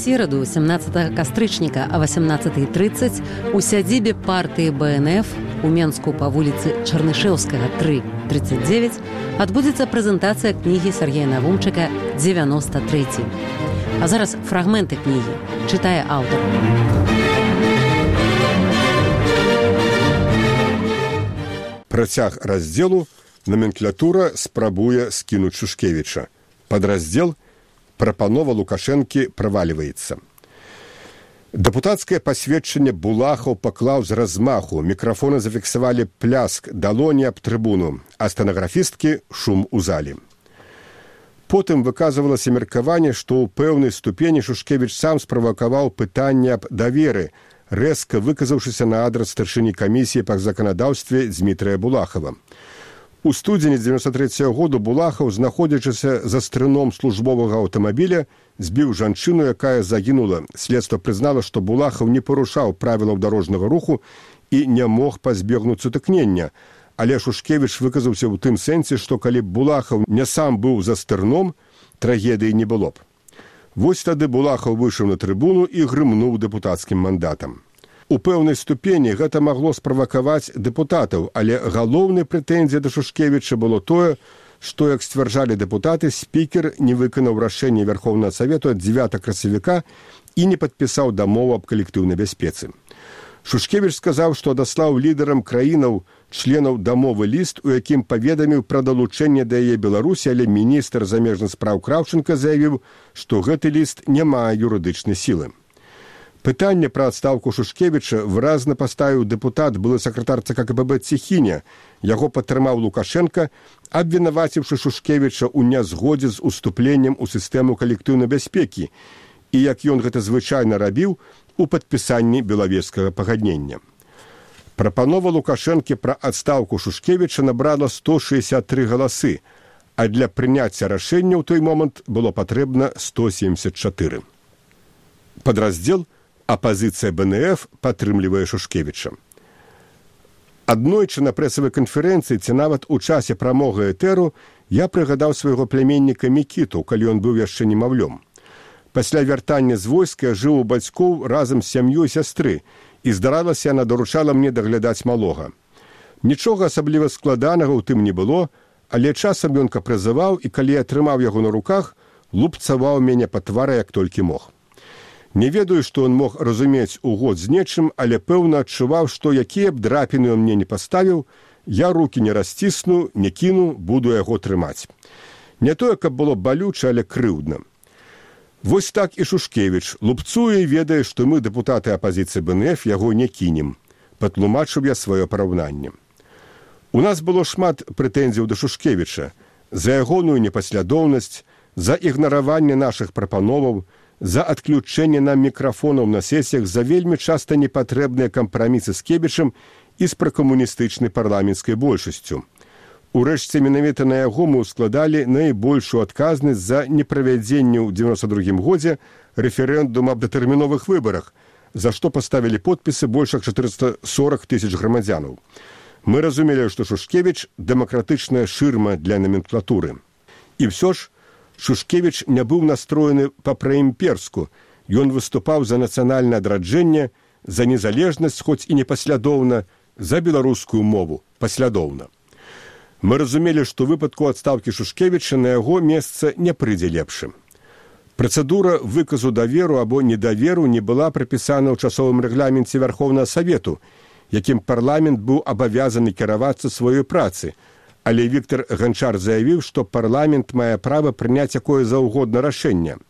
сераду, 17 кастрычніка о 18:30 у сядзібе партыі БНФ у Менску па вуліцы Чарнышэўскага 3/39 адбудзецца прэзентацыя кнігі Сергея Навумчыка «93». А зараз фрагменты кнігі. Чытае аўтар. Працяг раздзелу «Номенклатура спрабуе скінуць Шушкевіча». Падраздзел «Прапанова Лукашэнкі правальваецца». Дэпутацкае пасведчанне Булахаў паклаў з размаху, мікрафоны зафіксавалі пляск далоні аб трыбуну, а стэнаграфісткі шум у залі. Потым выказывалася меркаванне, што ў пэўнай ступені Шушкевіч сам справакаваў пытанне аб даверы, рэзка выказаўшыся на адрас старшыні камісіі па заканадаўстве Дзмітрыя Булахава. У студзені 93-го году Булахаў, знаходзячыся за стрыном службовага аўтамабіля, збіў жанчыну, якая загінула. Следства прызнала, што Булахаў не парушаў правілаў дарожнага руху і не мог пазбегнуць сутыкнення. Але Шушкевіч выказаўся ў тым сэнсе, што калі б Булахаў не сам быў за стырном, трагедыі не было б. Вось тады Булахаў выйшаў на трыбуну і грымнуў дэпутацкім мандатам. У пэўнай ступені гэта магло справакаваць дэпутатаў, але галоўнай прэтэнзіяй да Шушкевіча было тое, што, як сцвярджалі дэпутаты, спікер не выканаў рашэнне Верховнага Савету ад 9 красавіка і не падпісаў дамову аб калектыўнай бяспецы. Шушкевіч сказаў, што адаслаў лідарам краінаў членаў дамовы ліст, у якім паведаміў пра далучэнне да яе Беларусі, але міністр замежных спраў Краўчынка заявіў, што гэты ліст не мае юрыдычнай сілы. Пытанне пра адстаўку Шушкевіча выразна паставіў дэпутат, былы сакратар ЦК КПБ Цехіня. Яго падтрымаў Лукашенка, абвінаваціўшы Шушкевіча ў нязгодзе з уступленнем у сістэму калектыўнай бяспекі і, як ён гэта звычайна рабіў, у падпісанні белавежскага пагаднення. Прапанова Лукашэнкі пра адстаўку Шушкевіча набрала 163 галасы, а для прыняцця рашэння ў той момант было патрэбна 174. Падраздзел «Апазіцыя БНФ падтрымлівае Шушкевіча». Аднойчы на прэсавай канферэнцыі ці нават у часе прамога этэру я прыгадаў свайго пляменніка Мікіту, калі ён быў яшчэ немаўлём. Пасля вяртання з войска жыў у бацькоў разам з сям'ёй сястры, і, здаралася, яна даручала мне даглядаць малога. Нічога асабліва складанага ў тым не было, але часам ён капрызаваў, і калі я трымаў яго на руках, лупцаваў мяне па твары, як толькі мог. Не ведаю, што ён мог разумець угод з нечым, але пэўна адчуваў, што якія б драпіны ён мне не паставіў, я рукі не расцісну, не кіну, буду яго трымаць. Не тое, каб было балюча, але крыўдна. Вось так і Шушкевіч лупцуе і ведае, што мы, дэпутаты апазіцыі БНФ, яго не кінем. Патлумачыў я сваё параўнанне. У нас было шмат прэтэнзіяў да Шушкевіча за ягоную непаслядоўнасць, за ігнараванне нашых прапановаў, за адключэнне нам мікрафонаў на сесіях, за вельмі часта непатрэбныя кампрамісы з Кебічам і з пракамуністычнай парламенцкай большасцю. Урэшце, менавіта на яго мы ўскладалі найбольшую адказнасць за неправядзенне ў 92 годзе рэферэндум аб датэрміновых выбарах, за што паставілі подпісы больш як 440 тысяч грамадзянаў. Мы разумелі, што Шушкевіч – дэмакратычная шырма для номенклатуры. І ўсё ж, Шушкевіч не быў настроены па-праімперску. Ён выступаў за нацыянальнае адраджэнне, за незалежнасць, хоць і непаслядоўна, за беларускую мову, паслядоўна. Мы разумелі, што ў выпадку адстаўкі Шушкевіча на яго месца не прыйдзе лепшым. Працэдура выказу даверу або недаверу не была прапісана ў часовым рэгламенце Верховнага Савету, якім парламент быў абавязаны кіравацца сваёй працы, але Віктор Ганчар заявіў, што парламент мае права прыняць якое заўгодна рашэнне.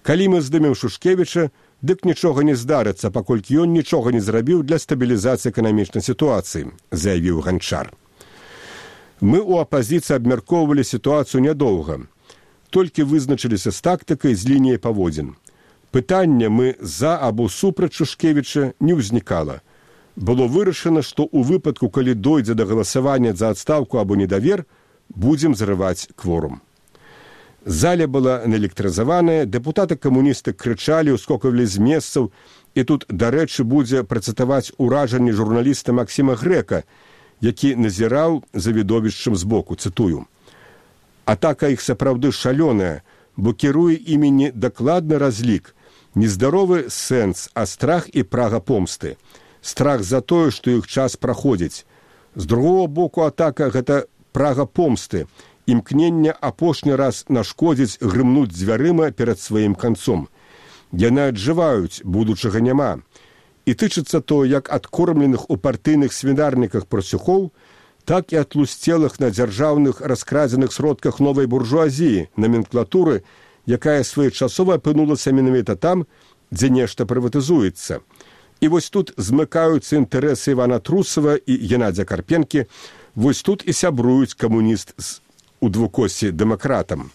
Калі мы здымем Шушкевіча, дык нічога не здарыцца, паколькі ён нічога не зрабіў для стабілізацыі эканамічнай сітуацыі, заявіў Ганчар. Мы ў апазіцыі абмяркоўвалі сітуацыю нядоўга. Толькі вызначыліся з тактыкай, з лініяй паводзін. Пытання мы за або супраць Шушкевіча не ўзнікала. Было вырашана, што ў выпадку, калі дойдзе да галасавання за адстаўку або недавер, будзем зрываць кворум. Заля была наэлектрызаваная, дэпутаты-камуністы крычалі, ускокавалі з месцаў, і тут, дарэчы, будзе працытаваць уражанне журналіста Максіма Грэка, які назіраў за відовішчам збоку, цытую. Атака іх сапраўды шалёная, бо кіруе імі не дакладны разлік, Нездаровы сэнс, а страх і прага помсты. Страх за тое, што іх час праходзіць. З другого боку, атака – гэта прага помсты, імкнення апошні раз нашкодзіць, грымнуць дзвярыма перад сваім канцом. Яны аджываюць, будучага няма. І тычыцца то як адкормленых у партыйных свінарніках прасюхоў, так і атлусцелых на дзяржаўных раскрадзеных сродках новай буржуазіі, номенклатуры, якая своечасова апынулася менавіта там, дзе нешта прыватызуецца. І вось тут змыкаюцца інтарэсы Івана Трусова і Геннадзя Карпенкі, вось тут і сябруюць камуніст у двукоссі дэмакратам.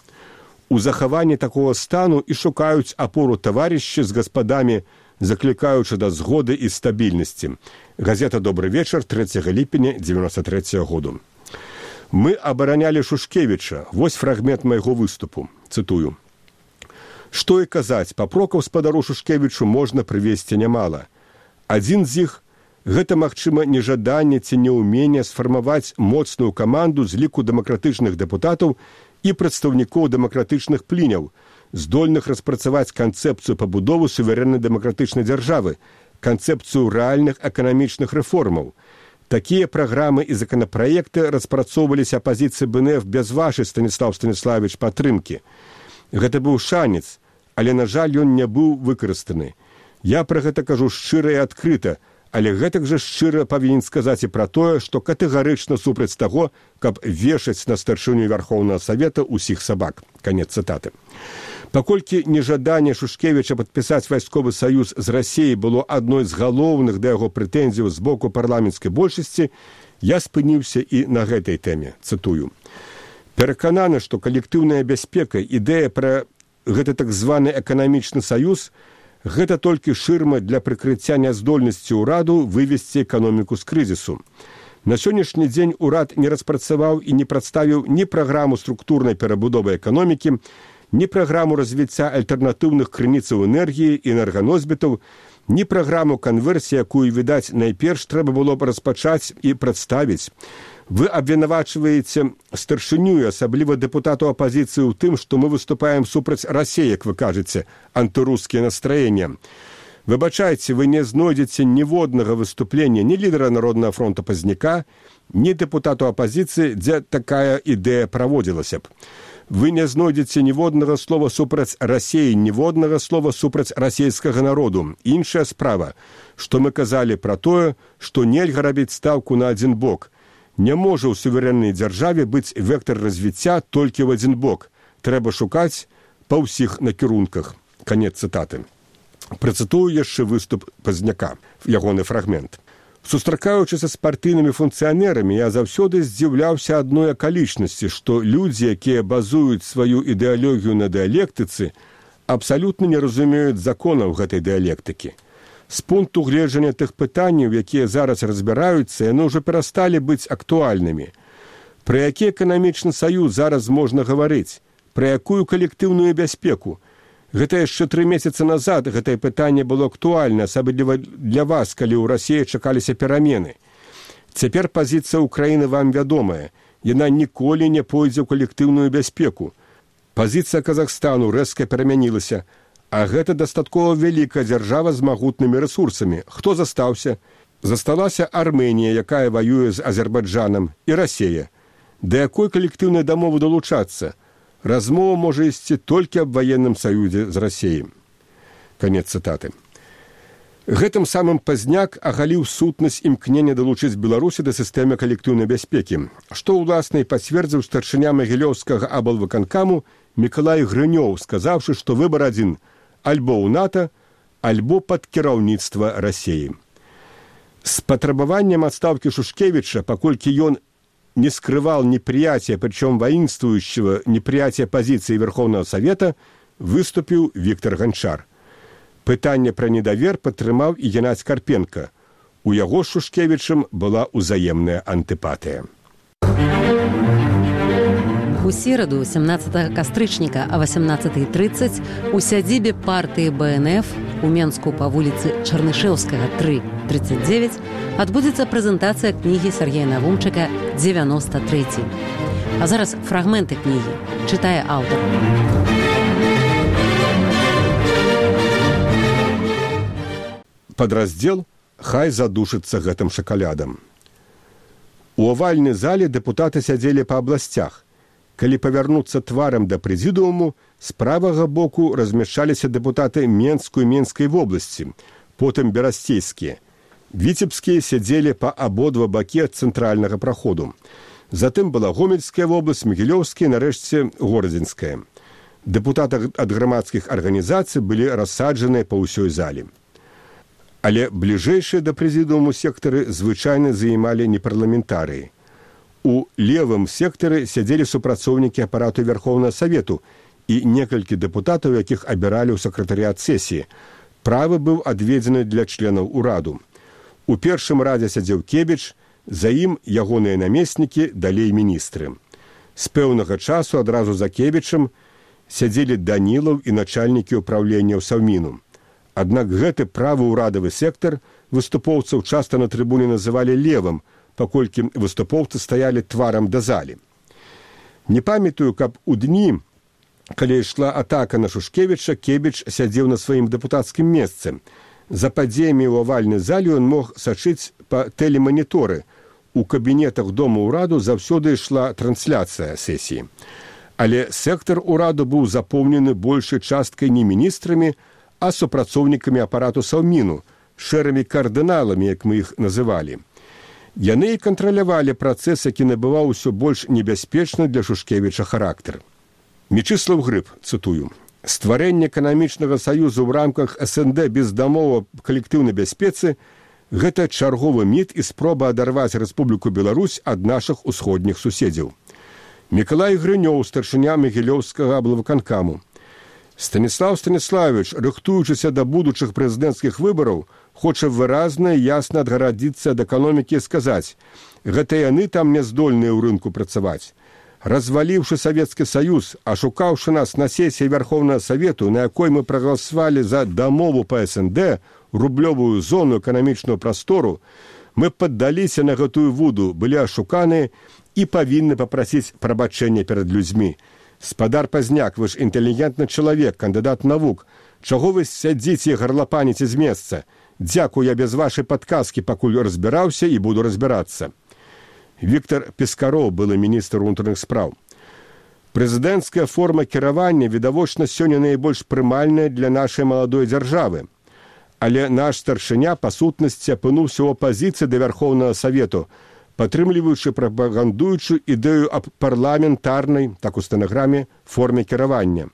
У захаванні такого стану і шукаюць апору таварышы з гаспадамі, заклікаючы да згоды і стабільнасці. Газета «Добрый вечер», 3 ліпеня 93 году. «Мы абаранялі Шушкевіча. Вось фрагмент майго выступу. Цытую. Што і казаць, папрокаў спадару Шушкевічу можна прывесці нямала. Адзін з іх – гэта, магчыма, нежаданне ці неўменне сфармаваць моцную каманду з ліку дэмакратычных дэпутатаў і прадстаўнікоў дэмакратычных пліняў, здольных распрацаваць канцэпцыю пабудовы суверэннай дэмакратычнай дзяржавы, канцэпцыю рэальных эканамічных рэформаў. Такія праграмы і законапраекты распрацоўваліся апазіцыі БНФ без вашай, Станіслав Станіславович, падтрымкі. Гэта быў шанец, але, на жаль, ён не быў выкарыстаны. Я пра гэта кажу шчыра і адкрыта, але гэтак жа шчыра павінен сказаць і пра тое, што катэгарычна супраць таго, каб вешаць на старшыню Вярхоўнага Савета ўсіх сабак. Канец цытаты. Паколькі нежаданне Шушкевіча падпісаць вайсковы саюз з Расіяй было адной з галоўных да яго прэтэнзіяў з боку парламенцкай большасці, я спыніўся і на гэтай тэме. Цытую. Перакананы, што калектыўная бяспека, ідэя пра гэты так званы эканамічны саюз – гэта толькі шырма для прыкрыцця няздольнасці ўраду вывесці эканоміку з крызісу. На сённяшні дзень урад не распрацаваў і не прадставіў ні праграму структурнай перабудовы эканомікі, ні праграму развіцця альтэрнатыўных крыніцаў энергіі і энерганосьбітаў, ні праграму канверсіі, якую, відаць, найперш трэба было б распачаць і прадставіць. Вы абвінавачваеце старшыню, асабліва дэпутату апазіцыі ў тым, што мы выступаем супраць Расіі, як вы кажаце, антырускія настроення. Выбачайце, вы не знойдзеце ніводнага выступлення ні лідера Народнага фронта Пазняка, ні дэпутату апазіцыі, дзе такая ідэя праводзілася б. Вы не знойдзеце ніводнага слова супраць Расіі, ніводнага слова супраць расійскага народу. Іншая справа, што мы казалі пра тое, што нельга рабіць стаўку на адзін бок. Не можа ў суверэннай дзяржаве быць вектар развіцця толькі ў адзін бок. Трэба шукаць па ўсіх накірунках. Канец цытаты. Працытую яшчэ выступ Пазняка, ягоны фрагмент. Сустракаючыся з партыйнымі функцыянерамі, я заўсёды здзіўляўся адной акалічнасці, што людзі, якія базуюць сваю ідэалогію на дыялектыцы, абсалютна не разумеюць законаў гэтай дыялектыкі. З пункту гледжання тых пытанняў, якія зараз разбіраюцца, яны ўжо перасталі быць актуальнымі. Пра які эканамічны саюз зараз можна гаварыць? Пра якую калектыўную бяспеку? Гэта яшчэ 3 месяцы назад гэтае пытанне было актуальна, асабліва для вас, калі ў Расіі чакаліся перамены. Цяпер пазіцыя Ўкраіны вам вядомая. Яна ніколі не пойдзе ў калектыўную бяспеку. Пазіцыя Казахстану рэзка перамянілася, а гэта дастаткова вялікая дзяржава з магутнымі рэсурсамі. Хто застаўся? Засталася Армэнія, якая ваюе з Азербайджанам, і Расія. Да якой калектыўнай дамовы далучацца? Размова можа ісці толькі аб ваенным саюзе з Расіяй. Канец цытаты. Гэтым самым Пазняк агаліў сутнасць імкнення далучыць Беларусі да сістэмы калектыўнай бяспекі, што ўласна і пацвердзіў старшыня Магілёўскага аблвыканкаму Мікалай Грынёў, сказаўшы, што выбар адзін – альбо ў НАТО, альбо пад кіраўніцтва Расіі. З патрабаваннем адстаўкі Шушкевіча, паколькі ён не скрывал неприятия, причем воинствующего неприятия позиции Верховного Совета, выступил Виктор Гончар. Пытанне пра недавер падтрымаў і Геннадзь Карпенка. У яго з Шушкевічам была ўзаемная антыпатыя. У сераду, 17 кастрычніка о 18:30 у сядзібе партыі БНФ у Менску па вуліцы Чарнышэўскага, 3, 39 адбудзецца прэзентацыя кнігі Сергея Навумчыка «93». А зараз фрагменты кнігі. Чытае аўтар. падраздзел «Хай задушыцца гэтым шакалядам». У авальнай зале дэпутаты сядзелі па абласцях. Калі павярнуцца тварам да прэзідыуму, з правага боку размяшчаліся дэпутаты Менскую і Менскай вобласці, потым берасцейскія. Віцебскія сядзелі па абодва бакі ад цэнтральнага праходу. Затым была Гомельская вобласць, Магілёўская, нарэшце Горадзенская. Дэпутаты ад грамадскіх арганізацый былі рассаджаныя па ўсёй зале. Але бліжэйшыя да прэзідыуму сектары звычайна займалі непарламентарыі. У левым сектары сядзелі супрацоўнікі апарату Верховнага Савету і некалькі дэпутатаў, якіх абіралі ў сакратарыят сесіі. Правы быў адведзены для членаў ураду. У першым радзе сядзеў Кебіч, за ім ягоныя намеснікі, далей міністры. З пэўнага часу адразу за Кебічам сядзелі Данілаў і начальнікі ўпраўлення ў Саўміну. Аднак гэты правы ўрадавы сектар выступоўцаў часта на трыбуне называлі левым, паколькі выступоўцы стаялі тварам да залі. Не памятаю, каб у дні, калі ішла атака на Шушкевіча, Кебіч сядзеў на сваім дэпутацкім месцы. За падзеямі ў авальнай зале ён мог сачыць па тэлеманіторы. У кабінетах дома ўраду заўсёды ішла трансляцыя сесіі. Але сектар ураду быў запоўнены большай часткай не міністрамі, а супрацоўнікамі апарату Саўміну, шэрымі кардыналамі, як мы іх называлі. Яны і кантралявалі працэс, які набываў усё больш небяспечны для Шушкевіча характар. Мечыслаў Грыб, цытую, «Стварэнне эканамічнага саюзу ў рамках СНД без дамовы аб калектыўнай бяспецы – гэта чарговы міт і спроба адарваць Рэспубліку Беларусь ад нашых усходніх суседзяў». Мікалай Грынёў, старшыня Магілёўскага аблвыканкаму. Станіслав Станіславович, рыхтуючыся да будучых прэзідэнцкіх выбараў, хоча выразна і ясна адгарадзіцца ад эканомікі і сказаць: гэта яны там не здольныя ў рынку працаваць. Разваліўшы Савецкі Саюз, ашукаўшы нас на сесіі Верховнага Савету, на якой мы прагаласавалі за дамову па СНД, рублёвую зону эканамічную прастору, мы паддаліся на гэтую вуду, былі ашуканыя і павінны папрасіць прабачэння перад людзьмі. Спадар Пазняк, вы ж інтэлігентны чалавек, кандыдат навук. Чаго вы сядзіце і гарлапаніце з месца? Дзякую, я без вашай падказкі пакуль разбіраўся і буду разбірацца. Віктор Пескароў, былы міністр унутраных спраў. Прэзідэнцкая форма кіравання, відавочна, сёння найбольш прымальная для нашай маладой дзяржавы. Але наш старшыня, па сутнасці, апынуўся ў апазіцыі да Верховнага Савету, падтрымліваючы прапагандуючую ідэю аб парламентарнай, так у стэнаграме, форме кіравання.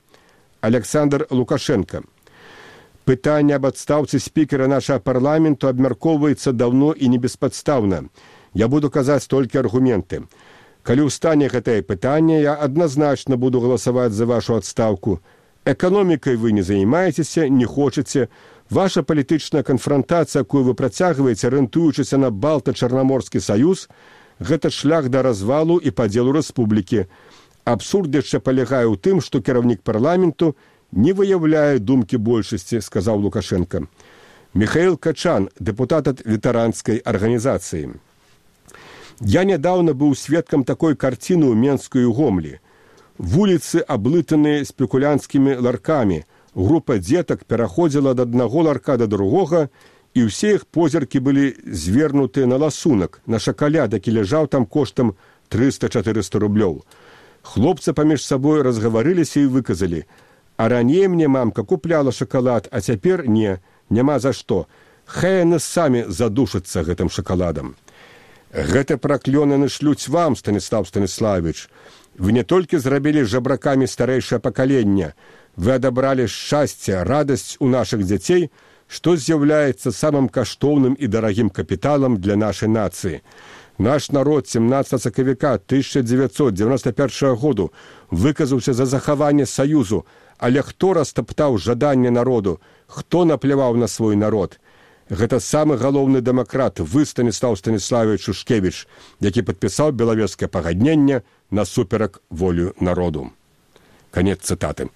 Александр Лукашенко. Пытанне аб адстаўцы спікера нашага парламенту абмяркоўваецца даўно і небеспадстаўна. Я буду казаць толькі аргументы. Калі ўстане гэтае пытанне, я адназначна буду галасаваць за вашу адстаўку. Эканомікай вы не займаецеся, не хочаце. Ваша палітычная канфрантацыя, якую вы працягваеце, арыентуючыся на Балта-Чарнаморскі саюз, гэта шлях да развалу і падзелу рэспублікі. Абсурд яшчэ палягае ў тым, што кіраўнік парламенту не выяўляе думкі большасці, сказаў Лукашенко. Михаил Качан, дэпутат ад ветэранскай арганізацыі. Я нядаўна быў сведкам такой карціны ў Менску і Гомлі. Вуліцы аблытаныя спекулянцкімі ларкамі. Група дзетак пераходзіла ад аднаго ларка да другога, і ўсе іх позіркі былі звернутыя на ласунак, на шакаляд, які ляжаў там коштам 300-400 рублёў. Хлопцы паміж сабой разгаварыліся і выказалі: «А раней мне мамка купляла шакалад, а цяпер не, няма за што. Хай яны самі задушацца гэтым шакаладам». Гэта праклёны нашлюць вам, Станіслав Станіславович. Вы не толькі зрабілі жабракамі старэйшае пакаленне, вы адабралі шчасце, радасць у нашых дзяцей, што з'яўляецца самым каштоўным і дарагім капіталам для нашай нацыі. Наш народ 17 сакавіка 1991 году выказаўся за захаванне саюзу, але хто растаптаў жаданне народу, хто напляваў на свой народ? Гэта самы галоўны дэмакрат, вы, Станіслав Станіславович Шушкевіч, які падпісаў белавежскае пагадненне насуперак волю народу. Канец цытаты.